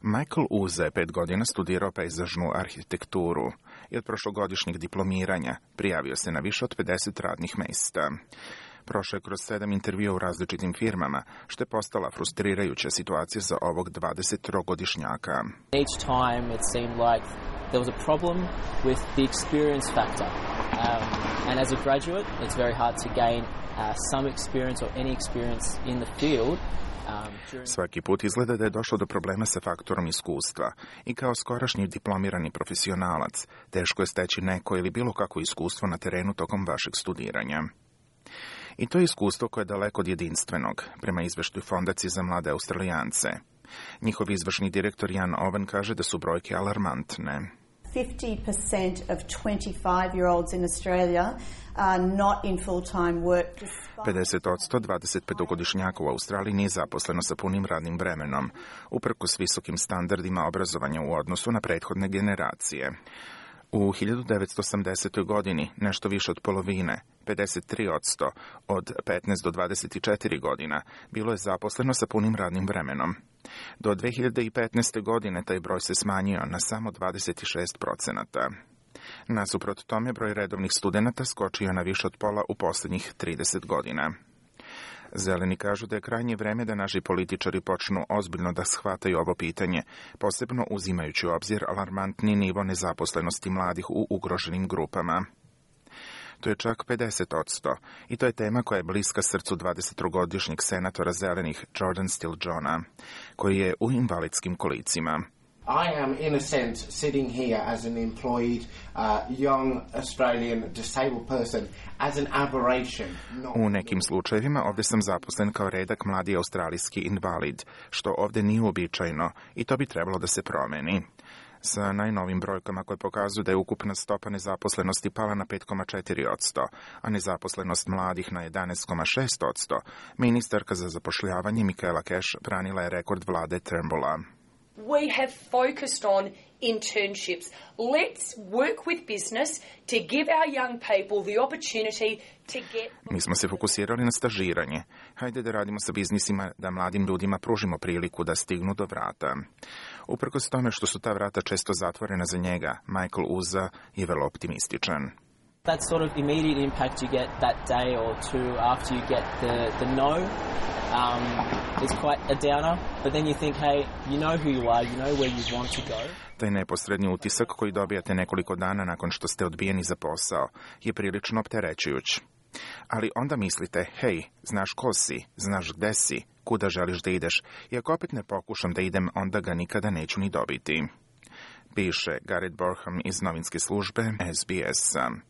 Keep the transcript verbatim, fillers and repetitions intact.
Michael Uza je pet godina studirao pejzažnu arhitekturu i od prošlogodišnjeg diplomiranja prijavio se na više od pedeset radnih mesta. Prošao je kroz sedam intervjua u različitim firmama, što je postala frustrirajuća situacija za ovog dvadesettrogodišnjaka. Each time it seemed like there was a problem with the experience factor. Um, and as a graduate, it's very hard to gain uh, some experience or any experience in the field. Svaki put izgleda da je došlo do problema sa faktorom iskustva i kao skorašnji diplomirani profesionalac teško je steći neko ili bilo kakvo iskustvo na terenu tokom vašeg studiranja. I to je iskustvo koje je daleko od jedinstvenog, prema izveštaju Fondacije za mlade Australijance. Njihov izvršni direktor Jan Owen kaže da su brojke alarmantne. fifty percent of twenty-five-year-olds in Australia are not in full-time work. pedeset posto dvadesetpetogodišnjaka u Australiji nije zaposleno sa punim radnim vremenom, uprkos visokim standardima obrazovanja u odnosu na prethodne generacije. U hiljadu devetsto osamdesetoj. godini nešto više od polovine, pedeset tri posto od petnaest do dvadeset četiri godina, bilo je zaposleno sa punim radnim vremenom. Do dve hiljade petnaeste. godine taj broj se smanjio na samo dvadeset šest procenata. Nasuprot tome, broj redovnih studenata skočio na više od pola u posljednjih trideset godina. Zeleni kažu da je krajnje vreme da naši političari počnu ozbiljno da shvataju ovo pitanje, posebno uzimajući u obzir alarmantni nivo nezaposlenosti mladih u ugroženim grupama. To je čak pedeset posto i to je tema koja je bliska srcu dvadesettrogodišnjeg senatora zelenih Jordan Steele-Johna, koji je u invalidskim kolicima. I am, in a sense, sitting here as an employed uh, young Australian disabled person as an aberration. Not... U nekim slučajevima ovdje sam zaposlen kao redak mladi australijski invalid, što ovdje nije uobičajeno i to bi trebalo da se promeni. Sa najnovim brojkama koje pokazuju da je ukupna stopa nezaposlenosti pala na pet zarez četiri posto, a nezaposlenost mladih na jedanaest zarez šest posto, ministarka za zapošljavanje Michaela Cash branila je rekord vlade Turnbulla. We have focused on internships. Let's work with business to give our young people the opportunity to get... Mi smo se fokusirali na stažiranje. Hajde da radimo sa biznisima da mladim ljudima pružimo priliku da stignu do vrata. Uprkos tome što su ta vrata često zatvorena za njega, Michael Uza je vrlo optimističan. That sort of immediate impact you get that day or two after you get the, the no um, is quite a downer. But then you think, hey, you know who you are, you know where you want to go. Taj neposredni utisak koji dobijate nekoliko dana nakon što ste odbijeni za posao je prilično opterećujuć. Ali onda mislite, hej, znaš ko si, znaš gde si, kuda želiš da ideš, i ako opet ne pokušam da idem, onda ga nikada neću ni dobiti. Piše Garrett Borham iz novinske službe S B S.